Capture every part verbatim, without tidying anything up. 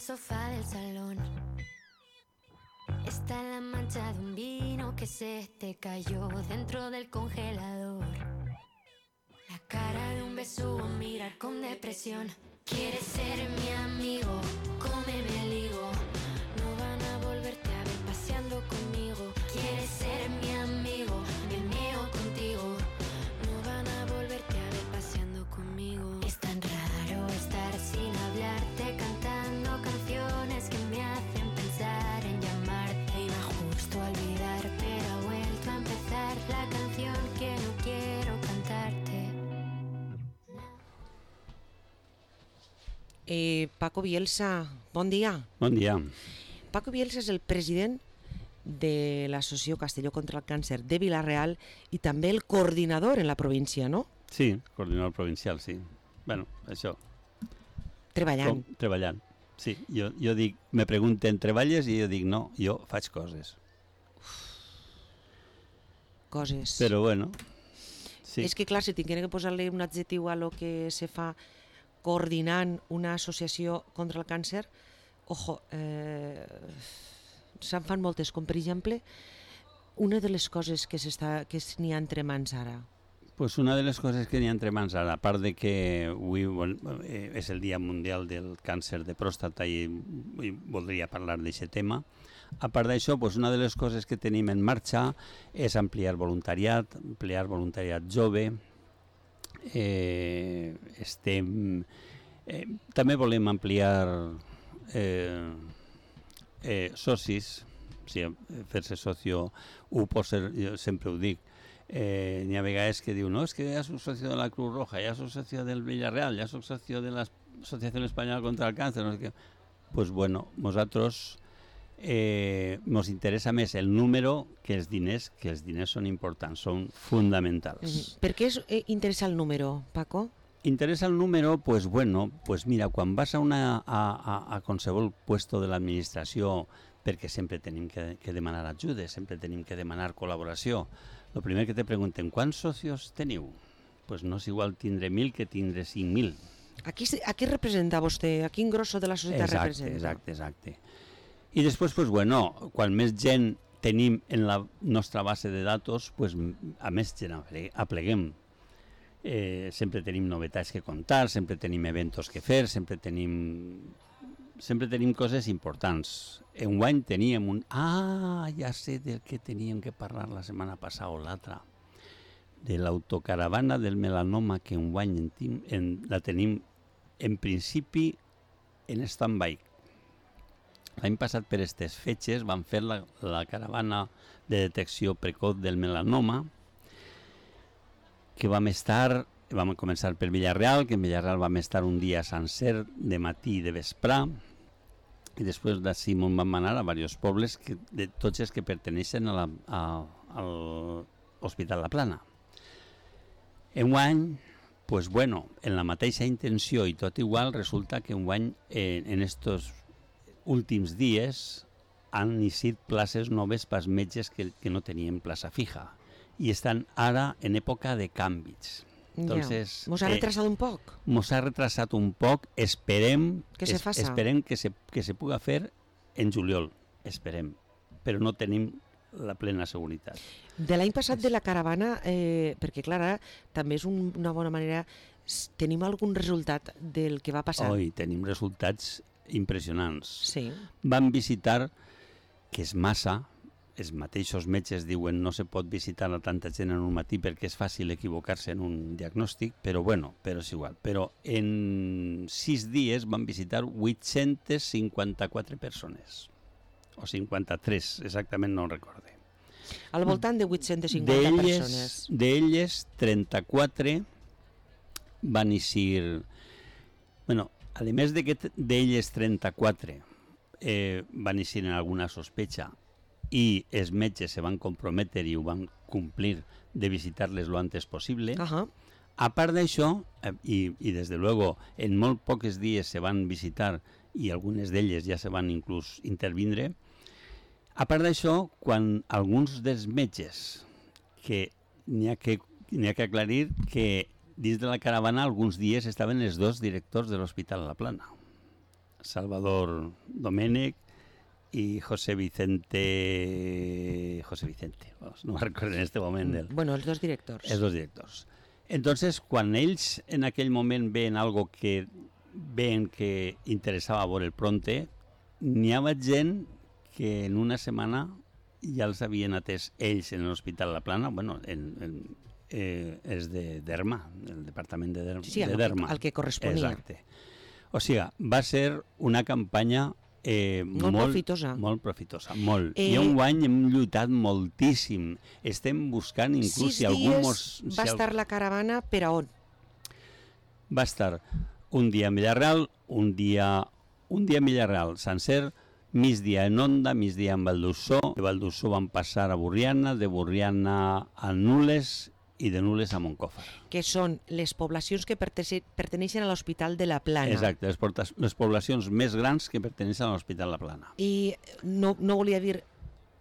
sofá del salón está la mancha de un vino que se te cayó dentro del congelador. La cara de un besugo, mirar con depresión. Quieres ser mi amigo, cómeme el higo. No van a volverte a ver paseando conmigo. Quieres ser mi amigo, me meo contigo. No van a volverte a ver paseando conmigo. Es tan raro estar sin hablarte, cantando canciones que me hacen pensar en llamarte. Iba justo a olvidar, pero ha vuelto a empezar la canción que no quiero cantarte. Eh, Paco Bielsa, bon dia. Bon dia. Paco Bielsa és el president de l'Associació Castelló contra el Càncer de Vila-real i també el coordinador en la província, no? Sí, coordinador provincial, sí. Bueno, això. Treballant. Com, treballant. Sí, jo, jo dic, me pregunten, treballes? I jo dic, no, jo faig coses. Coses. Però bueno, sí. És que clar, si tinguera que posar-li un adjectiu a lo que se fa coordinant una associació contra el càncer, ojo, eh, se'n fan moltes, com per exemple, una de les coses que s'està que n'hi ha entre mans ara. Pues una de les coses que n'hi ha entre mans ara, a part de que avui bueno, eh, és el Dia Mundial del Càncer de Pròstata i, i voldria parlar d'aquest tema, a part d'això, pues una de les coses que tenim en marxa és ampliar voluntariat, ampliar voluntariat jove. Eh, estem eh, també volem ampliar eh, eh, socis, sí, fer-se socio ho pot ser, jo sempre ho dic, eh, n'hi ha vegades que diu no, és que ja soc socio de la Cruz Roja, ja soc socio del Villarreal, ja soc socio de l'Associació Espanyola contra el Càncer, no sé què. Pues bueno, nosaltres eh, nos interessa més el número que els diners, que els diners són importants, són fonamentals. Mm-hmm. Per què és, eh, interessa el número, Paco? Interessa el número, pues bueno, pues mira, quan vas a, una, a, a, a qualsevol puesto de l'administració, perquè sempre tenim que, que demanar ajudes, sempre tenim que demanar col·laboració, el primer que te pregunten, quants socios teniu? Pues no és igual tindre mil que tindre cinc mil. A qui, a qui representa vostè? A quin grosso de la societat exacte, representa? Exacte, exacte. I després, pues bueno, quan més gent tenim en la nostra base de datos, pues a més gent apleguem. Eh, sempre tenim novetats que contar, sempre tenim eventos que fer, sempre tenim sempre tenim coses importants. Enguany teníem un... Ah, ja sé del que teníem que parlar la setmana passada o l'altra. De l'autocaravana del melanoma que enguany en, en, la tenim en principi en stand-by. L'any passat per aquestes fetges van fer la, la caravana de detecció precoç del melanoma, que vam estar, vam començar per Villarreal, que en Villarreal vam estar un dia sencer, de matí i de vesprà, i després d'ací vam anar a diversos pobles, que, de tots els que perteneixen a la, a, a l'Hospital La Plana. Enguany, pues bueno, en la mateixa intenció i tot igual, resulta que enguany, eh, en estos últims dies, han iniciat places noves pels metges que, que no tenien plaça fija i estan ara en època de canvis. Entonces, ja. Mos ha retrasat eh, un poc? Mos ha retrasat un poc, esperem que se, es, esperem que se, que se puga fer en juliol, esperem, però no tenim la plena seguretat. De l'any passat de la caravana, eh, perquè clar, ara també és un, una bona manera, tenim algun resultat del que va passar? Oi, tenim resultats impressionants. Sí. Van visitar, que és massa, els mateixos metges diuen no se pot visitar a tanta gent en un matí perquè és fàcil equivocar-se en un diagnòstic, però bueno, però és igual. Però en sis dies van visitar vuit-centes cinquanta-quatre persones, o cinquanta-tres, exactament no ho recorde. Al voltant de vuit-centes cinquanta persones. D'elles, trenta-quatre van eixir... Bueno, a més de que d'elles trenta-quatre eh, van eixir en alguna sospecha i els metges se van comprometre i ho van complir de visitar-les lo antes possible. Uh-huh. A part d'això, eh, i, i des de luego, en molt pocs dies se van visitar i algunes d'elles ja se van inclús intervindre. A part d'això, quan alguns dels metges, que n'hi ha que, n'hi ha que aclarir que dins de la caravana alguns dies estaven els dos directors de l'Hospital La Plana. Salvador Domènech y José Vicente... José Vicente, no me recuerdo en este moment. Del... Bueno, els dos directors. Els dos directors. Entonces, quan ells en aquell moment veien algo que veien que interessava veure el pronte, n'hi havia gent que en una setmana ja els havien atès ells en l'Hospital La Plana, bueno, en, en, eh, és de Derma, el departament de, der sí, de Derma. Sí, el que corresponia. Exacte. O sigui, va ser una campanya eh, molt, molt profitosa. Molt profitosa, molt. Eh, I enguany hem lluitat moltíssim. Estem buscant inclús sis si algú... dies mos, si va estar la caravana per a on? Va estar un dia a Villarreal, un dia, un dia a Villarreal sencer, migdia en Onda, migdia en Valdussó. De Valdussó van passar a Burriana, de Burriana a Nules i de Nules a Montcòfar. Que són les poblacions que perteneixen a l'Hospital de la Plana. Exacte, les, les poblacions més grans que perteneixen a l'Hospital La Plana. I no, no volia dir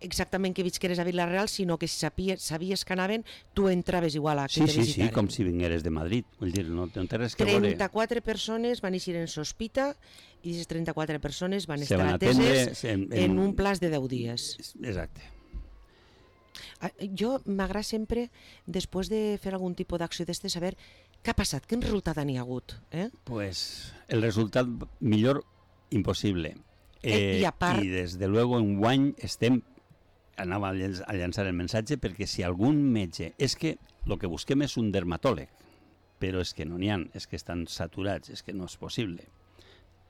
exactament que visqueres a Vila-real, sinó que si sabies, sabies que anaven, tu entraves igual a que sí, te sí, visitaren. Sí, com si vingueres de Madrid. Vull dir, no, no té res que veure. trenta-quatre persones van eixir en sospita i aquestes trenta-quatre persones van Se estar van ateses en, en, en un plaç de deu dies. Exacte. Jo m'agrada sempre, després de fer algun tipus d'acció d'estes, saber què ha passat, quin resultat n'hi ha hagut. Eh? Pues el resultat millor impossible. Eh, eh, I a part... I des de luego en guany estem, anava a, llenç, a llançar el missatge, perquè si algun metge... És que el que busquem és un dermatòleg, però és que no n'hi ha, és que estan saturats, és que no és possible.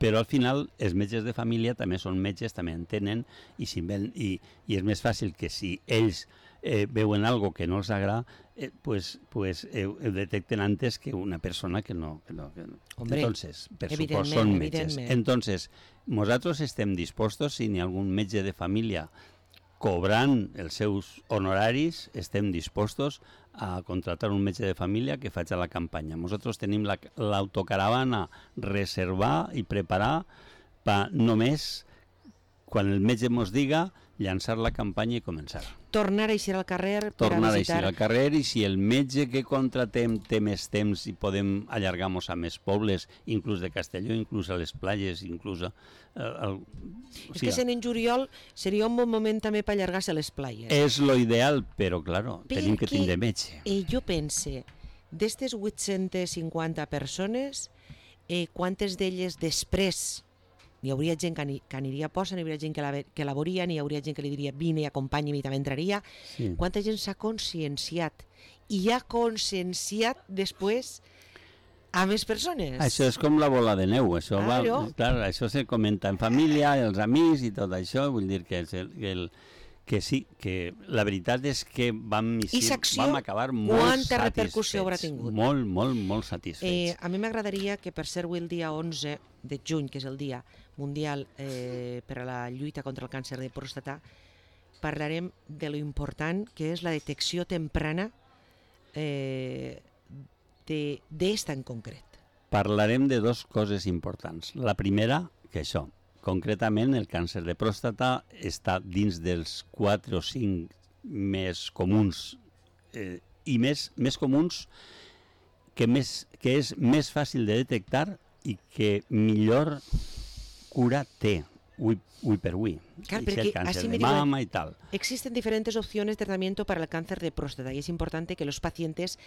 Però al final els metges de família també són metges, també entenen, i, si ven, i, i és més fàcil que si ells eh, veuen algo que no els agrada, eh, pues, pues eh, ho detecten antes que una persona que no... Que no, que no. Hombre, entonces, per suposo, són metges. Entonces, nosaltres estem dispostos, si n'hi ha algun metge de família cobrant els seus honoraris, estem dispostos a contratar un metge de família que faci la campanya. Nosaltres tenim l'autocaravana la, reservar i preparar per només, quan el metge ens diga, llançar la campanya i començar. Tornar a eixir al carrer per Tornar a visitar... a eixir al carrer, i si el metge que contratem té més temps i podem allargar-nos a més pobles, inclús de Castelló, inclús a les platges, inclús a... El, o sigui, és que sent en juliol seria un bon moment també per allargar-se a les platges. És lo ideal, però, claro, Perquè tenim que tindre metge. Eh, jo pense, d'estes vuit-centes cinquanta persones, eh, quantes d'elles després... N'hi hauria gent que, que aniria a posa, n'hi hauria gent que la, que la veuria, n'hi hauria gent que li diria vine i acompanya'm i també entraria. Sí. Quanta gent s'ha conscienciat i ha conscienciat després a més persones. Això és com la bola de neu, això, va, clar, això se comenta en família, els amics i tot això, vull dir que, el, que, el, que sí, que la veritat és que vam, vam acabar molt satisfets, molt, molt, molt satisfets. Eh, a mi m'agradaria que per ser avui el dia onze de juny, que és el dia mundial eh, per a la lluita contra el càncer de pròstata, parlarem de lo important que és la detecció temprana eh, d'esta en concret. Parlarem de dues coses importants. La primera, que això, concretament el càncer de pròstata està dins dels quatre o cinc més comuns eh, i més, més comuns que, més, que és més fàcil de detectar i que millor cura té, uy, uy per uy. Claro, el cáncer de mama y tal. Existen diferentes opciones de tratamiento para el cáncer de próstata y es importante que los pacientes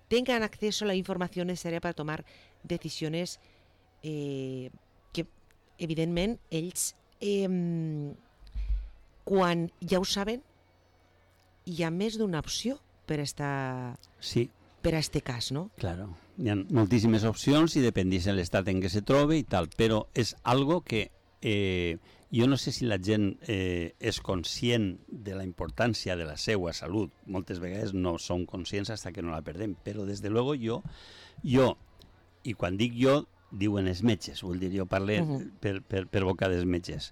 tengan acceso a la información necesaria para tomar decisiones eh, que, evidentment, ells, eh, quan ja ho saben, hi ha més d'una opció per a esta... Sí. per a este cas, no? Claro, hi ha moltíssimes opcions i dependís de l'estat en què se trobe i tal, però és algo que eh, jo no sé si la gent eh, és conscient de la importància de la seva salut. Moltes vegades no som conscients fins que no la perdem, però des de luego jo, jo, i quan dic jo, diuen els metges, vull dir, jo parlo uh-huh. per, per, per boca dels metges.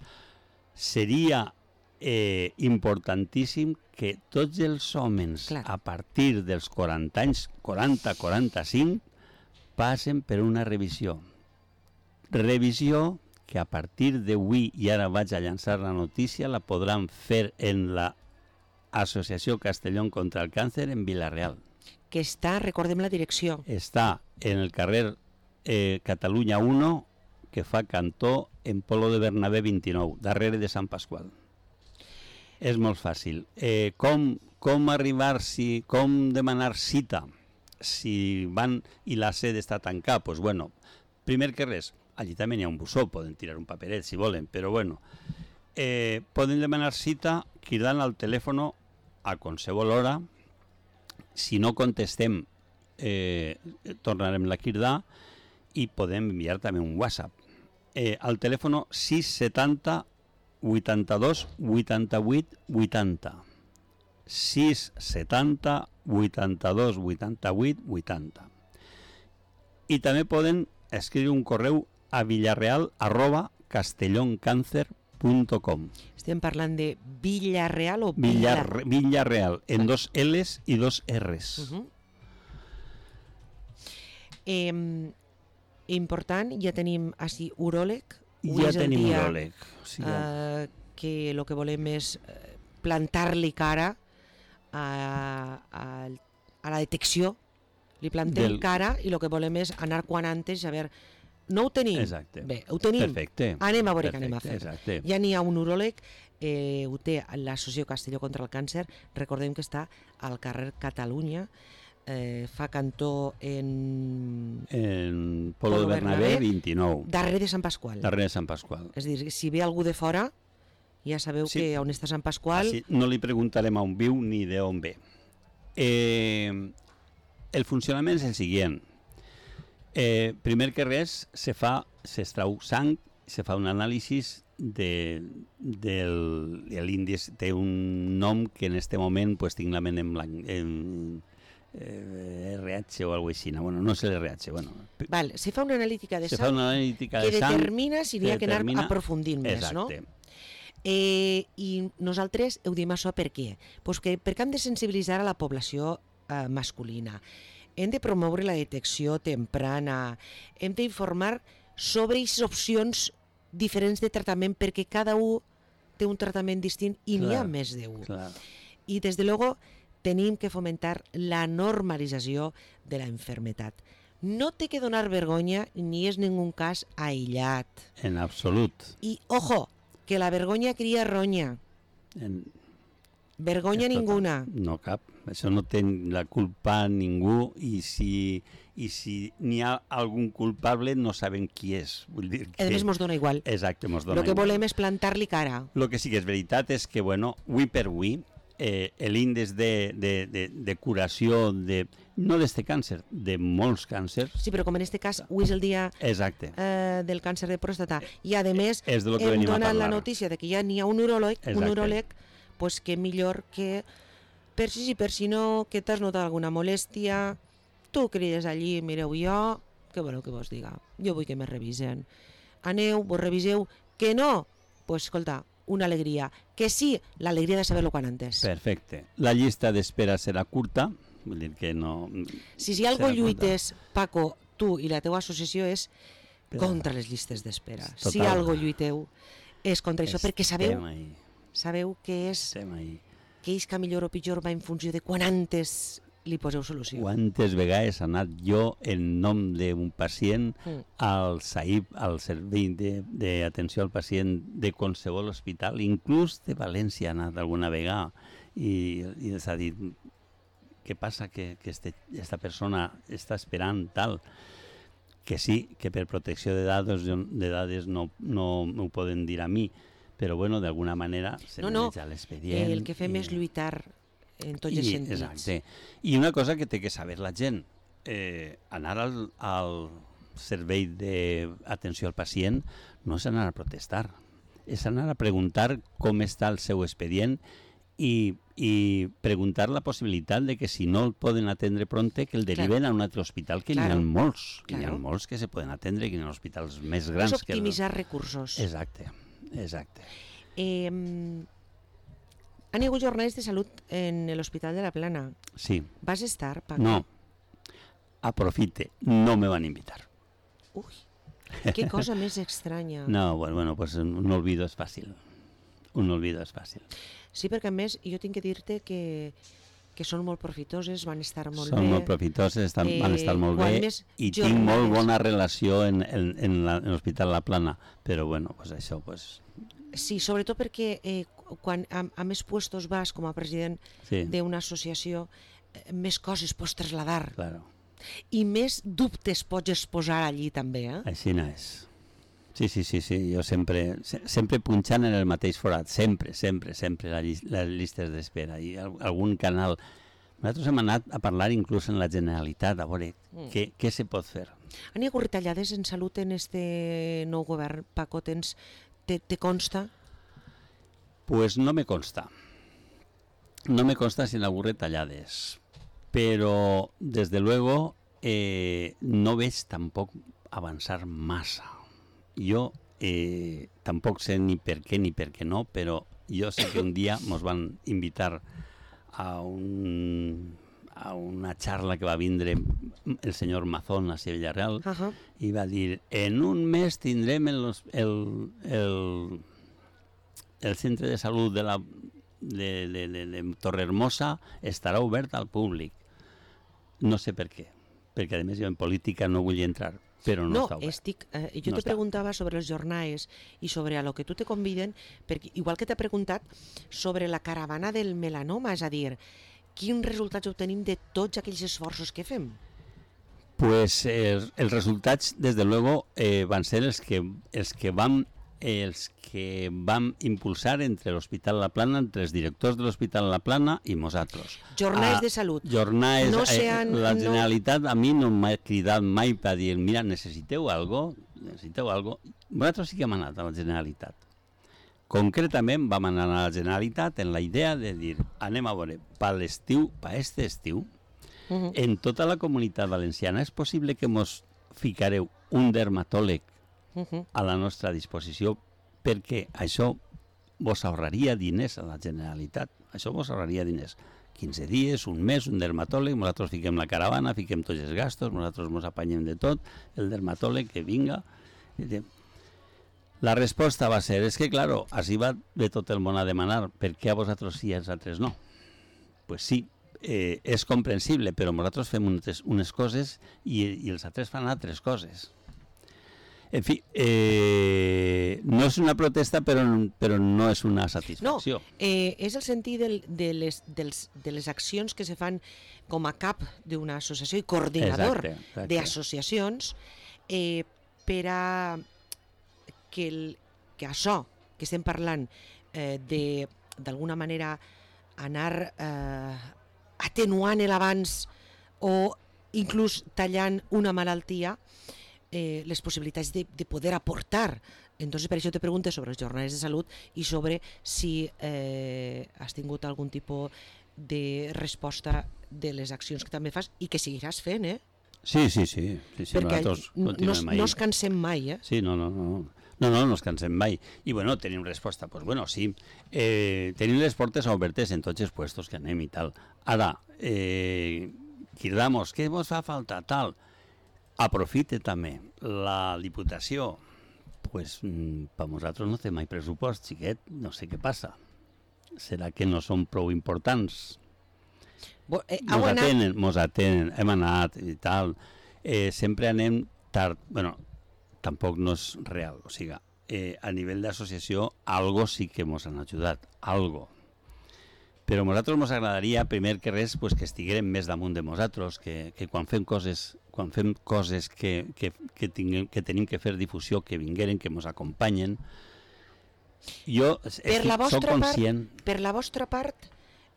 Seria eh, importantíssim que tots els homes Clar. a partir dels quaranta anys, quaranta a quaranta-cinc, passen per una revisió. Revisió que a partir d'avui, i ara vaig a llançar la notícia, la podran fer en la Associació Castellón contra el Càncer en Vila-real. Que està, recordem la direcció. Està en el carrer eh, Catalunya u, que fa cantó en Polo de Bernabé vint-i-nou, darrere de Sant Pasqual. És molt fàcil. Eh, com, com arribar-s'hi, com demanar cita si van i la sede està tancada? Pues bueno, primer que res, allí també hi ha un bussó, poden tirar un paperet si volen, però bueno, eh, poden demanar cita cridant al telèfon a qualsevol hora. Si no contestem, eh, tornarem la cridar i podem enviar també un WhatsApp. Eh, al telèfon sis setanta vuitanta-dos vuitanta-vuit vuitanta. sis setanta vuitanta-dos vuitanta-vuit vuitanta. I també poden escriure un correu a villarreal arroba castelloncàncer punt com. Estem parlant de Villarreal o Villar, Villar... Villarreal, en dos L's i dos R's. Uh -huh. eh, important, ja tenim així uròleg. Ja tenim uròleg. Sí, eh, que el que volem és plantar-li cara a, a, a la detecció. Li plantem Del... cara i el que volem és anar quan antes a veure. No ho tenim? Exacte. Bé, ho tenim. Perfecte. Anem a veure Perfecte, què anem a fer. Exacte. Ja n'hi ha un uròleg, eh, ho té l'Associació Castelló contra el Càncer. Recordem que està al carrer Catalunya, eh, fa cantó en... En Polo de Bernabé vint-i-nou. Darrere de Sant Pasqual. Darrere de Sant Pasqual. És a dir, si ve algú de fora, ja sabeu sí. que on està Sant Pasqual... Així no li preguntarem on viu ni d'on ve. Eh, el funcionament és el següent. Eh, primer que res, se fa, s'extrau sang, se fa un anàlisi de, del l'índex, té un nom que en este moment pues, tinc la ment en blanc, en eh, R H o alguna cosa així. Bueno, no sé l'R H. Bueno. Val, se fa una analítica de se sang fa una analítica que de sang, determina si n'hi ha que anar determina... aprofundint més, Exacte. no? Eh, I nosaltres ho diem això per què? Pues que perquè hem de sensibilitzar a la població eh, masculina. Hem de promoure la detecció temprana, hem d'informar sobre aquestes opcions diferents de tractament perquè cada un té un tractament distint i n'hi ha més d'un. I des de luego tenim que fomentar la normalització de la enfermetat. No té que donar vergonya ni és ningú cas aïllat. En absolut. I, ojo, que la vergonya cria ronya. En... Vergonya ninguna. No cap. Això no té la culpa ningú i si, i si n'hi ha algun culpable no saben qui és. Vull dir que... A més, mos dona igual. Exacte, mos dona igual. Lo que volem és plantar-li cara. Lo que sí que és veritat és que, bueno, avui per avui, eh, l'índex de, de, de, de curació, de, no d'este càncer, de molts càncers... Sí, però com en este cas, avui és el dia Exacte. Eh, del càncer de pròstata i, a més, és de lo que hem venim a donat parlar. la notícia de que ja n'hi ha un uròleg, un uròleg, pues que millor que... Per si sí, per si no, que t'has notat alguna molèstia, tu crides allí, mireu jo, què voleu que vos diga? Jo vull que me revisen. Aneu, vos reviseu, que no? Pues escolta, una alegria. Que sí, l'alegria de saber-lo quan antes. Perfecte. La llista d'espera serà curta, vull dir que no... Si si algo lluites, Paco, tu i la teua associació és contra les llistes d'espera. Si algo lluiteu és contra això, perquè sabeu, sabeu que és... que és que millor o pitjor va en funció de quan antes li poseu solució. Quantes vegades he anat jo en nom d'un pacient mm. al S A I P, al Servei d'Atenció al Pacient de qualsevol hospital, inclús de València he anat alguna vegada i, i s'ha dit què passa que, que este, esta persona està esperant tal, que sí, que per protecció de dades, de dades no, no m'ho poden dir a mi, però bueno, d'alguna manera se no, no. m'ha l'expedient. El que fem i... és lluitar en tots els sentits. Exacte. I una cosa que té que saber la gent, eh, anar al, al servei d'atenció al pacient no és anar a protestar, és anar a preguntar com està el seu expedient i, i preguntar la possibilitat de que si no el poden atendre prompte, que el deriven claro. a un altre hospital, que claro. n'hi ha molts, que claro. n'hi ha molts que se poden atendre, que n'hi ha hospitals més grans. És optimitzar que el... recursos. Exacte. Exacte. Eh, han hagut jornades de salut en l'Hospital de la Plana. Sí. ¿Vas estar, Paco? No. Aprofite, no me van invitar. Uy, qué cosa més estranya. No, bueno, bueno, pues un olvido és fàcil. Un olvido és fàcil. Sí, perquè a més jo tinc que dir-te que, que són molt profitoses, van estar molt Són bé. molt profitoses, estan, Eh, van estar molt quan bé més i tinc molt jornades- bona relació en, en, en la- en l'Hospital La Plana, però bueno, pues això, pues, Sí, sobretot perquè eh, quan a, a més puestos vas com a president sí, d'una associació, eh, més coses pots trasladar claro, i més dubtes pots exposar allí també, eh? així no és. Sí, sí, sí, sí, jo sempre, se- sempre punxant en el mateix forat, sempre, sempre, sempre, la llis- les llistes d'espera i al- algun canal. Nosaltres hem anat a parlar inclús en la Generalitat, a veure Mm. què, què se pot fer. Han hi hagut retallades en salut en este nou govern, Paco, tens, te, te consta? Pues no me consta. No me consta si han hagut retallades, pero desde luego eh, no ves tampoc avançar massa. Jo eh, tampoc sé ni per què ni per què no, però jo sé que un dia ens van invitar a, un, a una charla que va vindre el senyor Mazón a Villarreal Uh -huh. i va dir, en un mes tindrem el, el, el, el centre de salut de, la, de, de, de, de Torrehermosa estarà obert al públic. No sé per què, perquè a més jo en política no vull entrar, però no, No, està obert. estic, eh, jo No te està. preguntava sobre els jornals i sobre a lo que tu te conviden, perquè, igual que t'he preguntat sobre la caravana del melanoma, és a dir, quins resultats obtenim de tots aquells esforços que fem? Pues eh, els resultats, des de luego, eh, van ser els que, els que vam els que vam impulsar entre l'Hospital La Plana, entre els directors de l'Hospital La Plana i nosaltres. Jornals Ah, de salut. Jornals, No eh, se han- la no- Generalitat a mi no m'ha cridat mai per dir, mira, necessiteu algo, necessiteu algo. Nosaltres sí que hem anat a la Generalitat. Concretament vam anar a la Generalitat en la idea de dir, anem a veure, per l'estiu, per este estiu, Uh -huh. en tota la comunitat valenciana és possible que mos ficareu un dermatòleg Uh -huh. a la nostra disposició, perquè això vos ahorraria diners a la Generalitat. Això vos ahorraria diners. quinze dies, un mes, un dermatòleg, nosaltres fiquem la caravana, fiquem tots els gastos, nosaltres ens apanyem de tot, el dermatòleg que vinga. La resposta va ser, és que, claro, així va de tot el món a demanar, per què a vosaltres sí i als altres no? Pues sí, eh, és comprensible, però nosaltres fem unes, unes coses i, i els altres fan altres coses. En fi, eh, no és una protesta, però, però no és una satisfacció. No, eh, és el sentit del, de, les, dels, de les accions que se fan com a cap d'una associació i coordinador Exacte, exacte. d'associacions eh, per a que, el, que això que estem parlant eh, de d'alguna manera anar eh, atenuant l'avanç o inclús tallant una malaltia, eh, les possibilitats de, de poder aportar. Entonces, per això te pregunto sobre els jornals de salut i sobre si eh, has tingut algun tipus de resposta de les accions que també fas i que seguiràs fent, eh? Sí, sí, sí. sí, sí Perquè nosaltres no, continuem ahí. no es cansem mai, eh? Sí, no, no, no. No, no, no ens cansem mai. I bueno, tenim resposta. Pues bueno, sí. Eh, tenim les portes obertes en tots els puestos que anem i tal. Ara, eh, cridamos, què vos fa falta? Tal. Aprofite també la Diputació. Pues mm, per nosaltres no té mai pressupost, xiquet. No sé què passa. Serà que no són prou importants? Bo, eh, Mos heu anat- atenen, mos atenen, hem anat i tal. Eh, sempre anem tard. Bueno, tampoc no és real. O sigui, eh, a nivell d'associació, algo sí que mos han ajudat. Algo. Però a nosaltres mos agradaria, primer que res, pues, que estiguérem més damunt de nosaltres, que, que quan fem coses, quan fem coses que, que, que, tinguem, que tenim que fer difusió, que vingueren, que mos acompanyen. Jo Per estic, la soc vostra part, conscient... per la vostra part,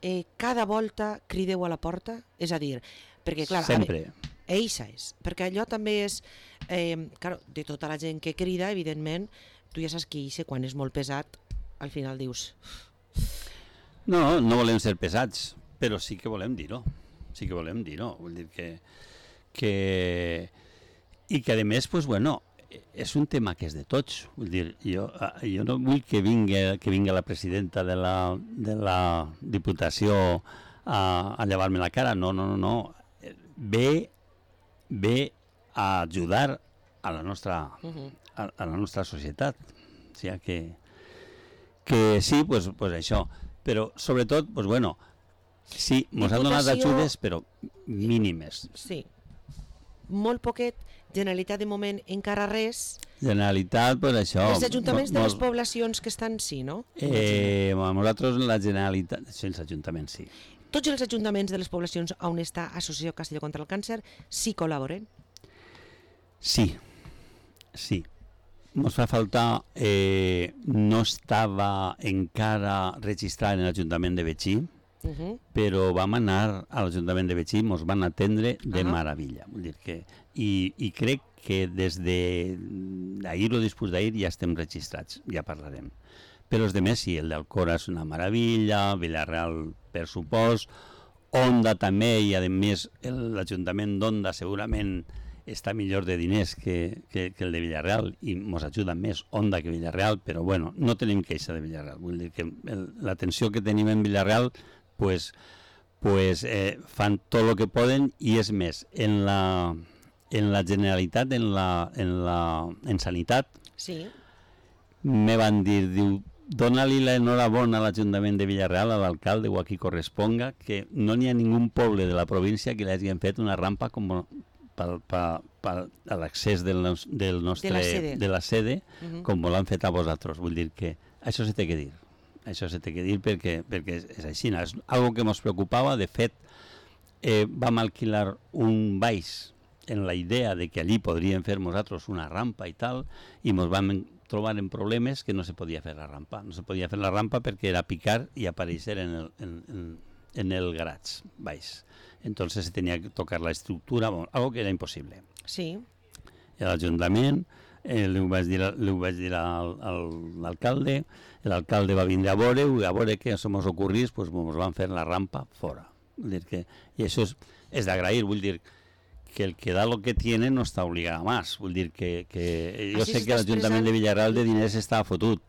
eh, cada volta crideu a la porta? És a dir, perquè clar, Sempre. A, eixa és, perquè allò també és, eh, claro, de tota la gent que crida, evidentment, tu ja saps que eixa, quan és molt pesat, al final dius... No, no volem ser pesats, però sí que volem dir-ho. Sí que volem dir-ho. Vull dir que... que... I que, a més, pues, bueno, és un tema que és de tots. Vull dir, jo, jo no vull que vingui, que vingui la presidenta de la, de la Diputació a, a llevar-me la cara. No, no, no, no. Ve, ve a ajudar a la nostra, Uh-huh. a, a la nostra societat. O sigui que, que sí, pues, pues això. Però, sobretot, pues, bueno, Sí, ens han donat Diputació- ajudes, però mínimes. Sí. Molt poquet. Generalitat, de moment, encara res. Generalitat, pues això... Els ajuntaments de mo- les poblacions que estan, sí, no? Eh, a nosaltres la Generalitat... Sí, els ajuntaments, sí. Tots els ajuntaments de les poblacions on està Associació Castelló contra el Càncer sí col·laboren. Sí, sí. Ens fa faltar... Eh, no estava encara registrat en l'Ajuntament de Betxí, Uh -huh. però vam anar a l'Ajuntament de Betxí, ens van atendre de Ah. meravella. Vull dir que, i, I crec que des d'ahir o després d'ahir ja estem registrats, ja parlarem. Però els demés sí, el d'Alcora és una meravella, Villarreal per supost, Onda també, i a més l'Ajuntament d'Onda segurament està millor de diners que, que, que el de Villarreal i ens ajuda més Onda que Villarreal, però bueno, no tenim queixa de Villarreal. Vull dir que l'atenció que tenim en Villarreal pues, pues, eh, fan tot el que poden, i és més, en la, en la Generalitat, en, la, en, la, en Sanitat, Sí. me van dir, diu, dona-li l'enhorabona a l'Ajuntament de Villarreal, a l'alcalde o a qui corresponga, que no n'hi ha ningú poble de la província que li hagin fet una rampa com per, per, per a l'accés del, nos, del nostre, De la sede. de la sede, Uh -huh. com l'han fet a vosaltres. Vull dir que això se té que dir. Això se té que dir perquè, perquè és així. És algo que ens preocupava. De fet, eh, vam alquilar un baix en la idea de que allí podríem fer nosaltres una rampa i tal, i ens vam trobar en problemes que no se podia fer la rampa. No se podia fer la rampa perquè era picar i aparèixer en el, en, en, en el garatge baix. Entonces se tenía que tocar la estructura, bueno, algo que era imposible. Sí. L'Ajuntament, eh, li ho vaig dir, li ho vaig dir al, al l'alcalde, l'alcalde va vindre a veure, i a veure què se mos ocorrís, pues ens van fer la rampa fora. Vull dir que, i això és, és d'agrair, vull dir que el que da lo que tiene no està obligat a més. Vull dir que, que jo Així sé que s'està l'Ajuntament expressant- de Villarreal de diners està fotut,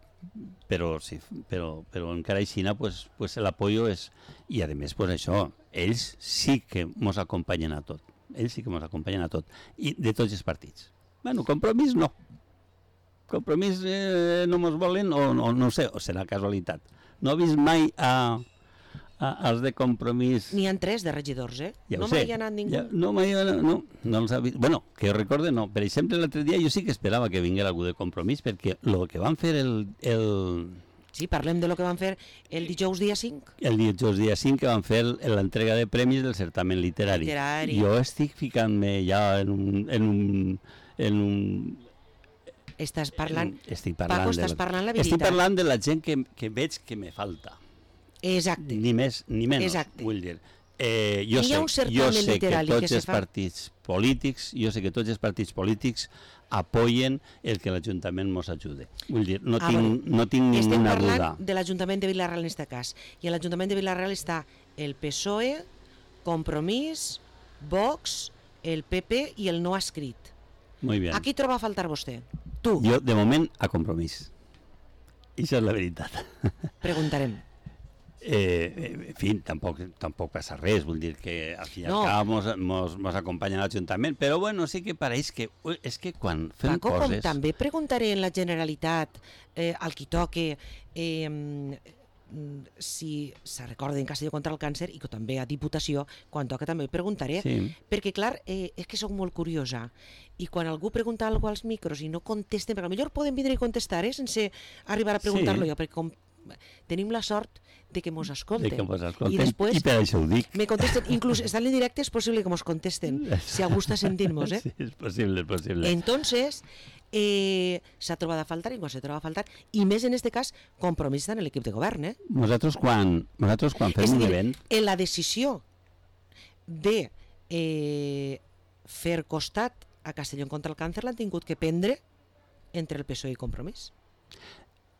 però sí, però, però encara així pues, pues l'apoyo és... I a més, pues això, ells sí que ens acompanyen a tot. Ells sí que ens acompanyen a tot. I de tots els partits. Bueno, Compromís no. Compromís eh, no ens volen, o, o no ho sé, o serà casualitat. No he vist mai a, a, als de Compromís... N'hi ha tres de regidors, eh? Ja no ho sé. mai hi ha anat ningú. Ja, no, mai, no, no els ha vist. Bueno, que jo recorde, no. Per exemple, l'altre dia jo sí que esperava que vingués algú de Compromís, perquè el que van fer el, el, Sí, parlem de lo que van fer el dijous dia cinc. el dijous dia cinc, que van fer l'entrega de premis del certamen literari. Literari. Jo estic ficant-me ja en un... En un, en un Estàs parlant... en, estic parlant Paco, de estàs parlant la veritat. Estic parlant de la gent que, que veig que me falta. Exacte. Ni més ni menys, Exacte. vull dir. Eh, jo Hi sé, ha un jo certamen sé que literari que tots se els fa- partits polítics, jo sé que tots els partits polítics apoyen el que l'Ajuntament ens ajude. Vull dir, no Ah, tinc, bueno. no tinc Estem ninguna parlant duda. de l'Ajuntament de Vila-real en aquest cas. I a l'Ajuntament de Vila-real està el P S O E, Compromís, Vox, el P P i el no escrit. Molt bé. A qui troba a faltar vostè? Tu. Jo, de moment, a Compromís. I això és la veritat. Preguntarem. Eh, en fi, tampoc, tampoc passa res, vull dir que al fi i al No. cap mos, mos, mos acompanya l'Ajuntament, però bueno, sí que pareix que ui, és que quan fem Paco, com coses... també preguntaré en la Generalitat eh, al qui toque eh, mm, si se recorda en Castelló contra el càncer, i que també a Diputació, quan toca també preguntaré, Sí. perquè clar, eh, és que sóc molt curiosa, i quan algú pregunta alguna cosa als micros i no contesten, perquè potser poden vindre i contestar, eh, sense arribar a preguntar-lo Sí. jo, perquè com tenim la sort de que mos escolten. De que mos escolten, I després i per això ho dic. me contesten, inclús estant en directe és possible que mos contesten, si algú està sentint-nos, eh? Sí, és possible, és possible. Entonces, eh, s'ha trobat a faltar, i quan s'ha trobat a faltar, i més en este cas, Compromís en l'equip de govern, eh? Nosaltres quan, nosaltres quan fem És a un dir, event... en la decisió de eh, fer costat a Castelló contra el càncer l'han tingut que prendre entre el P S O E i Compromís.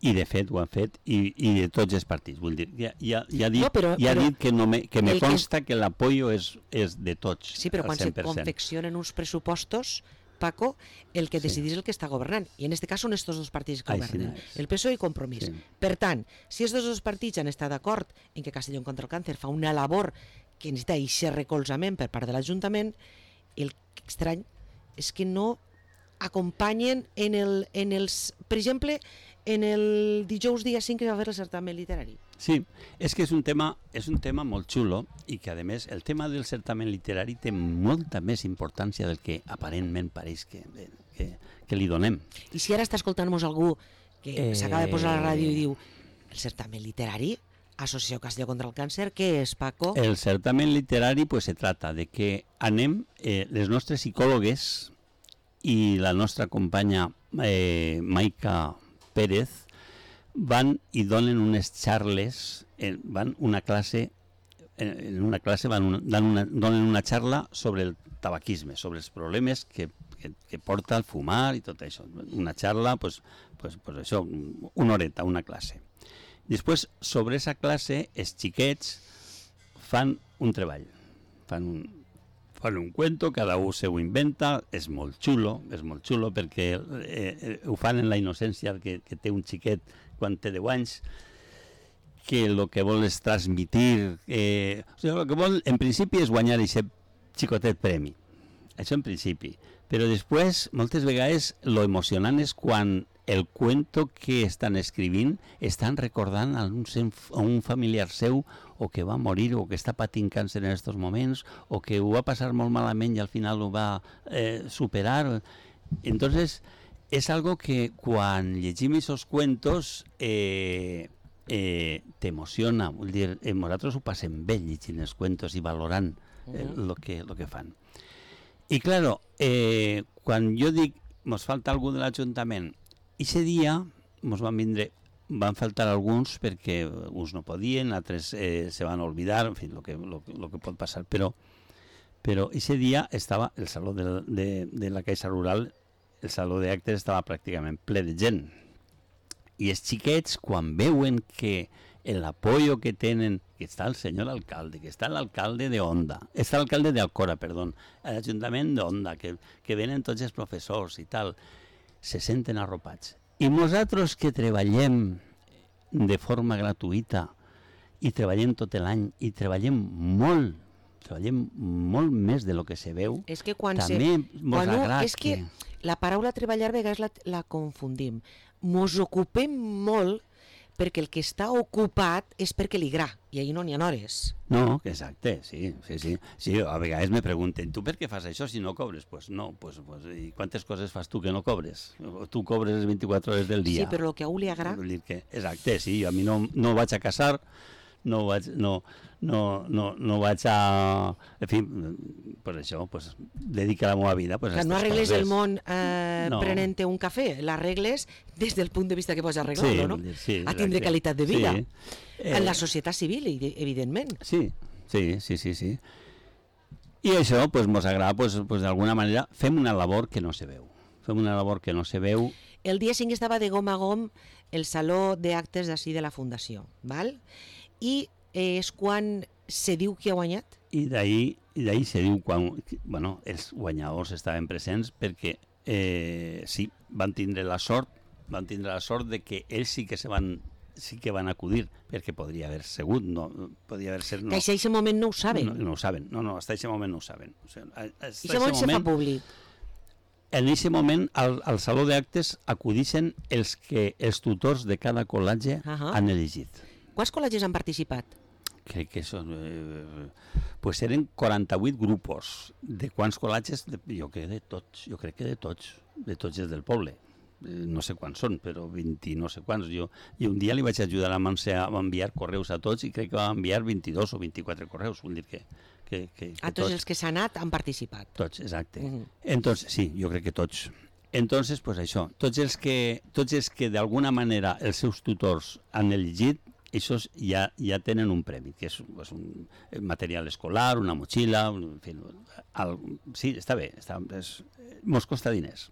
I de fet ho han fet, i, i de tots els partits. Vull dir, ja, ja, ja, ha dit, No, però- ja ha però dit que, no me, que me el que és- consta que l'apoyo és, és de tots, Sí, però al quan se cent per cent. confeccionen uns pressupostos, Paco, el que Sí. decidís el que està governant. I en aquest cas són estos dos partits que Així governen, és. el P S O E i Compromís. Sí. Per tant, si estos dos partits han estat d'acord en que Castelló contra el càncer fa una labor que necessita aquest recolzament per part de l'Ajuntament, el estrany és que no acompanyen en, el, en els... Per exemple, en el dijous dia cinc que va haver el certamen literari. Sí, és que és un tema, és un tema molt xulo i que, a més, el tema del certamen literari té molta més importància del que aparentment pareix que, que, que li donem. I si ara està escoltant-nos algú que eh... s'acaba de posar a la ràdio i diu el certamen literari, Associació Castelló contra el Càncer, què és, Paco? El certamen literari pues, se trata de que anem, eh, les nostres psicòlogues i la nostra companya eh, Maica Pérez van i donen unes xarles, eh, van una classe, en una classe van una, dan una, donen una xarla sobre el tabaquisme, sobre els problemes que, que, que porta el fumar i tot això. Una xarla, pues, pues, pues això, una horeta, una classe. Després, sobre aquesta classe, els xiquets fan un treball, fan un, fan un cuento, cada un se ho inventa, és molt xulo, és molt xulo perquè eh, eh, ho fan en la innocència que, que té un xiquet quan té deu anys, que el que vol és transmitir, eh, o sigui, el que vol en principi és guanyar aquest xicotet premi, això en principi, però després, moltes vegades, lo emocionant és quan el cuento que estan escrivint estan recordant a un, a un familiar seu o que va morir o que està patint càncer en aquests moments o que ho va passar molt malament i al final ho va eh, superar. Entonces, és algo que quan llegim aquests cuentos eh, eh, t'emociona. Vull dir, eh, nosaltres ho passem bé llegint els cuentos i valorant eh, uh-huh. lo, que, lo que fan. I, claro, eh, quan jo dic mos falta algú de l'Ajuntament, Ixe dia ens van vindre, van faltar alguns perquè uns no podien, altres eh, se van oblidar, en fi, el que, lo, lo que pot passar, però però ixe dia estava el saló de, de, de la Caixa Rural, el saló d'actes estava pràcticament ple de gent. I els xiquets, quan veuen que l'apoyo que tenen, que està el senyor alcalde, que està l'alcalde de Onda, està l'alcalde d'Alcora, perdó, l'Ajuntament d'Onda, que, que venen tots els professors i tal, se senten arropats. I nosaltres que treballem de forma gratuïta i treballem tot l'any i treballem molt, treballem molt més de lo que se veu, és que quan també se... mos quan agrada és que... que la paraula treballar a vegades la, la confundim. Mos ocupem molt perquè el que està ocupat és perquè li gra, i ahir no n'hi ha hores. No, exacte, sí, sí, sí. Sí, a vegades me pregunten, tu per què fas això si no cobres? Pues no, pues, pues, i quantes coses fas tu que no cobres? Tu cobres les vint-i-quatre hores del dia. Sí, però el que a un li agrada... Que, exacte, sí, a mi no, no vaig a casar, no vaig, no, no, no, no vaig a... En fi, pues això, pues, dedica la meva vida pues, a que no arregles coses. El món eh, no. prenent-te un cafè, l'arregles des del punt de vista que pots arreglar-lo, sí, no? Sí, a tindre qualitat de vida. Sí. Eh, en la societat civil, evidentment. Sí, sí, sí, sí, sí. I això, pues, mos agrada, pues, pues, d'alguna manera, fem una labor que no se veu. Fem una labor que no se veu. El dia cinc estava de gom a gom el saló d'actes d'ací de la Fundació, val? I eh, és quan se diu qui ha guanyat? I d'ahir i d'ahir se diu quan bueno, els guanyadors estaven presents perquè eh, sí, van tindre la sort van tindre la sort de que ells sí que se van sí que van acudir, perquè podria haver sigut, no, podria haver ser... No. Que a aquest moment no ho saben. No, no ho saben, no, no, hasta aquest moment no ho saben. O sigui, I aquest moment se fa públic. En aquest moment, al, al saló d'actes acudixen els que els tutors de cada col·legi uh -huh. han elegit. Quants col·legis han participat? Crec que són... Eh, pues eren quaranta-vuit grupos. De quants col·legis? De, jo crec de tots, jo crec que de tots, de tots els del poble. No sé quants són, però vint no sé quants. Jo, i un dia li vaig ajudar a Montse a enviar correus a tots i crec que va enviar vint-i-dos o vint-i-quatre correus. Vull dir que... que, que, que a tots, tots els que s'han anat han participat. Tots, exacte. Uh -huh. Entonces, sí, jo crec que tots. Entonces, pues això, tots els que, tots els que d'alguna manera els seus tutors han elegit, ells ja, ja tenen un premi, que és, és un material escolar, una motxilla, un, en fi, el, sí, està bé, està, és, mos costa diners.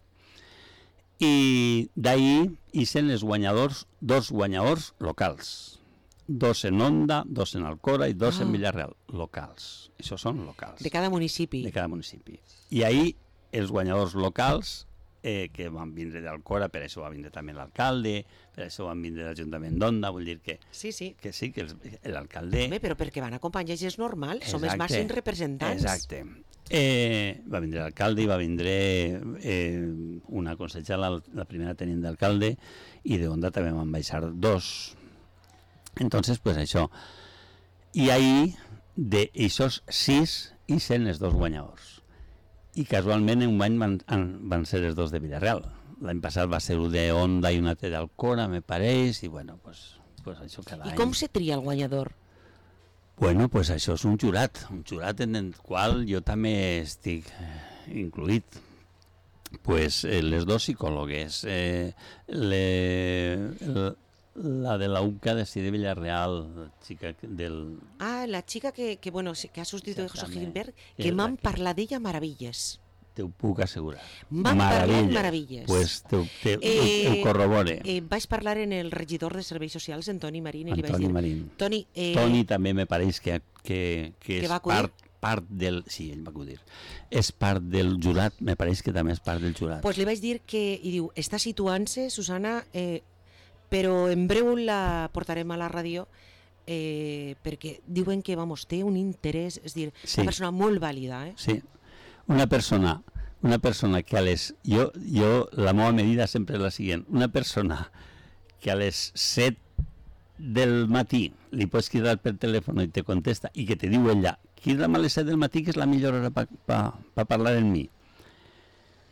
I d'ahir hi són els guanyadors, dos guanyadors locals, dos en Onda, dos en Alcora i dos oh. en Villarreal, locals. Això són locals. De cada municipi. De cada municipi. I ahir els guanyadors locals eh, que van vindre d'Alcora, per això va vindre també l'alcalde, per això van vindre l'Ajuntament d'Onda, vull dir que Sí, sí. que sí, que l'alcalde... Home, però perquè van acompanyar és normal, som els Exacte, màxims representants. Exacte. Eh, va vindre l'alcalde i va vindre eh, una consellera, la, la primera tenint d'alcalde, i de Onda també van baixar dos. Entonces, pues això. I ahí, de esos sis, i sent els dos guanyadors. I casualment en un any van, van ser els dos de Villarreal. L'any passat va ser un de Onda i un altre d'Alcora, me pareix, i bueno, pues, pues això cada I any... com se tria el guanyador? Bueno, pues això és un jurat, un jurat en el qual jo també estic eh, incluït. Pues eh, les dos psicòlogues, eh, le, el, la de la U C A de Cide Villarreal, la xica del... Ah, la xica que, que, bueno, que ha substituït a José Exactament. Gilbert, És que la m'han que- parlat d'ella meravilles. Te ho puc assegurar. M'han parlat meravilles. Pues te, te, Eh, ho, ho corrobore. Eh, vaig parlar en el regidor de Serveis Socials, en Toni Marín, i li vaig Antoni dir... Marín. Toni, eh, Toni també me pareix que, que, que, Que és va acudir? part, part del... Sí, ell va acudir. És part del jurat, me pareix que també és part del jurat. pues li vaig dir que... I diu, està situant-se, Susana, eh, però en breu la portarem a la ràdio eh, perquè diuen que, vamos, té un interès, és dir, Sí. una persona molt vàlida, eh? Sí, una persona, una persona que a les... Jo, jo, la meva medida sempre és la següent. Una persona que a les set del matí li pots cridar per telèfon i te contesta i que te diu ella, crida'm a les set del matí que és la millor hora per pa, pa parlar amb mi.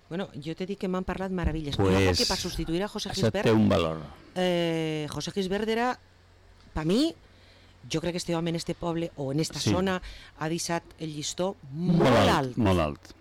Bueno, jo t'he dit que m'han parlat meravilles. Pues, Pues, que per substituir a José Això té Gisbert, un valor. eh, José Gisbert era, per mi, jo crec que este home en este poble o en esta Sí. zona ha deixat el llistó molt, alt, Molt alt.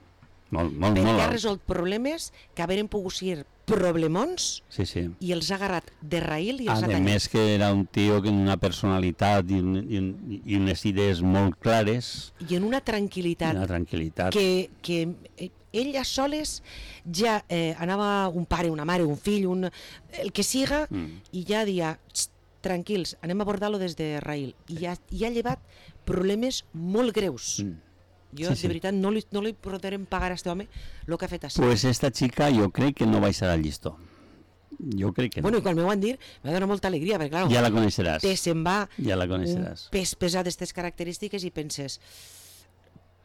Molt, molt, perquè molt ha alt. resolt problemes que haveren pogut ser problemons Sí, sí. i els ha agarrat de raïl i els ha A tallat. més que era un tio con una personalitat i, un, i, un, i unes idees molt clares, I en una tranquil·litat una tranquil·litat. que, que eh, ell a soles ja eh, anava un pare, una mare, un fill, un, el que siga, Mm. i ja dia, "Xt, tranquils, anem a abordar-lo des de raïl. I ja, i ha llevat problemes molt greus. Mm. Jo, Sí, de sí. veritat, no li, no li podrem pagar a este home el que ha fet així. Pues esta chica jo crec que no baixarà al llistó. Jo crec que no. Bueno, i quan m'ho van dir, m'ha donat molta alegria, perquè, clar, Ja la coneixeràs. te se'n va Ja la un coneixeràs. pes pesat d'aquestes característiques i penses,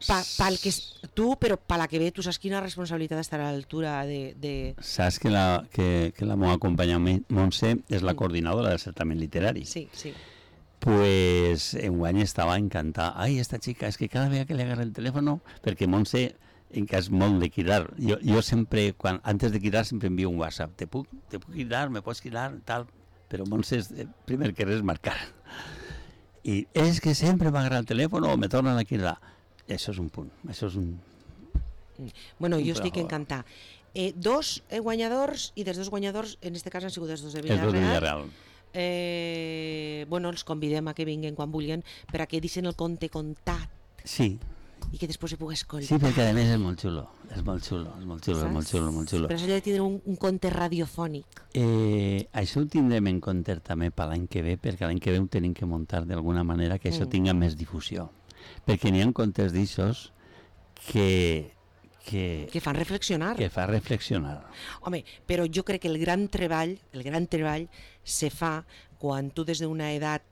pa, pel que és tu, però per la que ve, tu saps quina responsabilitat estar a l'altura de, de... Saps que la, que, que la meva companya Montse és la coordinadora del certamen literari. Sí, sí. Pues enguany estava encantada. Ai, esta chica, és que cada vegada que li agarra el telèfon, perquè Montse, en cas molt de cridar, jo, jo sempre, quan, antes de cridar, sempre envio un WhatsApp. Te puc, te puc cridar, me pots cridar, tal. Però Montse, és, eh, primer que res, marcar. I és que sempre m'agarra el telèfon o me tornen a cridar. Això és un punt, això és un... Bueno, Un jo estic trabajo. encantada. Eh, dos eh, guanyadors, i dels dos guanyadors, en este cas han sigut els dos de Els dos de Villarreal. Villarreal. Eh, bueno, els convidem a que vinguin quan vulguin per a que deixen el conte contat Sí, i que després se pugui escoltar. sí, perquè a més és molt xulo, és molt xulo, és molt xulo, és molt xulo, molt xulo. Per això he de tindre un, un conte radiofònic. Eh, això ho tindrem en compte també per l'any que ve, perquè l'any que ve ho tenim que muntar d'alguna manera que això Mm. tinga més difusió. Perquè n'hi ha contes d'aixòs que, que, Que fan reflexionar. que fa reflexionar. Home, però jo crec que el gran treball, el gran treball se fa quan tu des d'una edat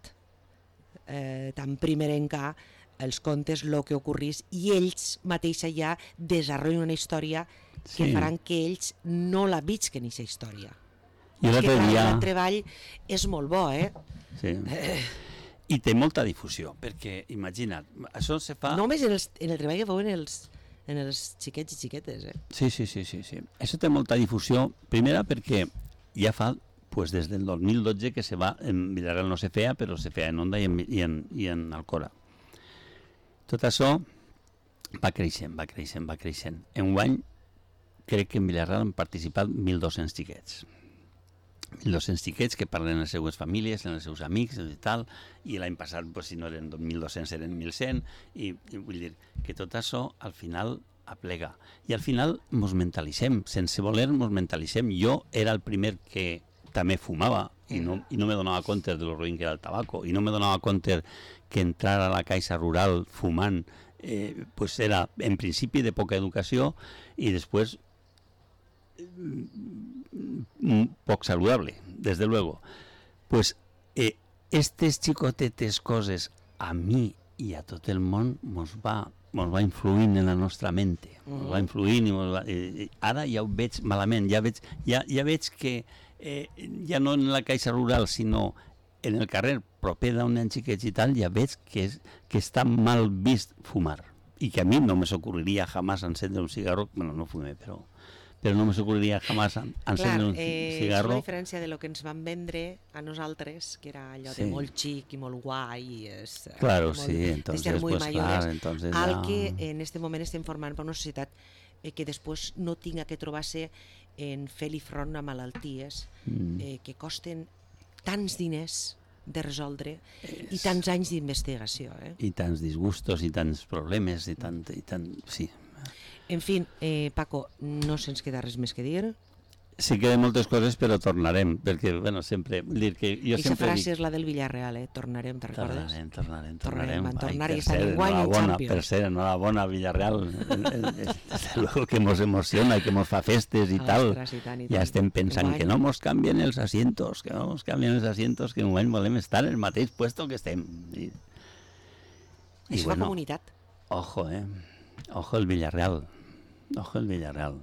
eh, tan primerenca els contes el que ocorrís i ells mateixa ja desenvolupen una història que Sí. faran que ells no la visquen, aquesta història. I És que l'altre clar, dia... el treball és molt bo, eh? Sí. I té molta difusió, perquè, imagina't, això se fa... Només en, els, en el treball que veuen els, en els xiquets i xiquetes, eh? Sí, sí, sí, sí, sí. Això té molta difusió, primera perquè ja fa pues, des del dos mil dotze que se va, en Villarreal no se feia, però se feia en Onda i en, i en, i en Alcora. Tot això va creixent, va creixent, va creixent. Enguany crec que en Villarreal han participat mil dos-cents xiquets. mil dos-cents xiquets que parlen en les seues famílies, en els seus amics i tal, i l'any passat, pues, si no eren mil dos-cents, eren mil cent, i, i vull dir que tot això al final aplega. I al final mos mentalitzem, sense voler mos mentalitzem. Jo era el primer que també fumava i no, i no me donava compte de lo ruïn que era el tabaco, i no me donava compte que entrar a la caixa rural fumant eh, pues era en principi de poca educació i després poc saludable, desde luego. Pues eh, estes xicotetes coses a mi i a tot el món mos va, mos va influint en la nostra mente, mos va influint i mos va, eh, ara ja ho veig malament, ja veig, ja, ja veig que eh, ja no en la caixa rural, sinó en el carrer proper d'un nen xiquets i tal, ja veig que, és, que està mal vist fumar i que a mi no me s'ocorreria jamás encendre un cigarro, bueno, no fumé, però però no me s'ocorreria jamás encendre un eh, cigarro. És una diferència de lo que ens van vendre a nosaltres, que era allò sí. de molt xic i molt guai, i és, claro, molt, sí, entonces, pues claro, entonces al ya... que en este moment estem formant per una societat eh, que després no tinga que trobar-se en fer-li front a malalties mm. eh, que costen tants diners de resoldre és... i tants anys d'investigació. Eh? I tants disgustos i tants problemes i tant... I tant sí. En fi, eh, Paco, no se'ns queda res més que dir. Sí queden moltes coses, però tornarem, perquè, bueno, sempre... Dir que jo Eixa sempre frase dic... és la del Villarreal, eh? Tornarem, te'n recordes? Tornarem, tornarem, tornarem. Tornarem, van tornar Ai, i estan en guany en Champions. Per ser, enhorabona, Villarreal. Desde luego que mos emociona i que mos fa festes i tal. Ostres, i tant, i tant. Ja estem pensant que no mos canvien els asientos, que no mos canvien els asientos, que en un moment volem estar en el mateix puesto que estem. I, i Això bueno, fa comunitat. Ojo, eh? Ojo el Villarreal. Ojo el Villarreal.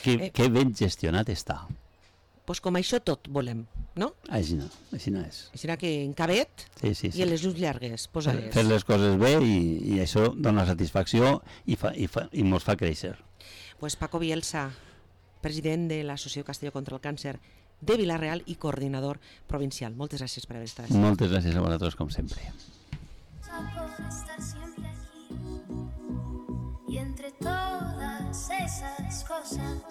Que, Eh. que ben gestionat està. Pues com això tot volem, no? Així no, així no és. Així que en cabet Sí, sí, sí. i en les ulls llargues, posa-les. Fer les coses bé i, i això dona satisfacció i, fa, i, fa, i mos fa créixer. Pues Paco Bielsa, president de l'Associació Castelló contra el Càncer de Vila-real i coordinador provincial. Moltes gràcies per haver estat. Moltes gràcies a vosaltres, com sempre. Por estar siempre aquí y entre todas esas cosas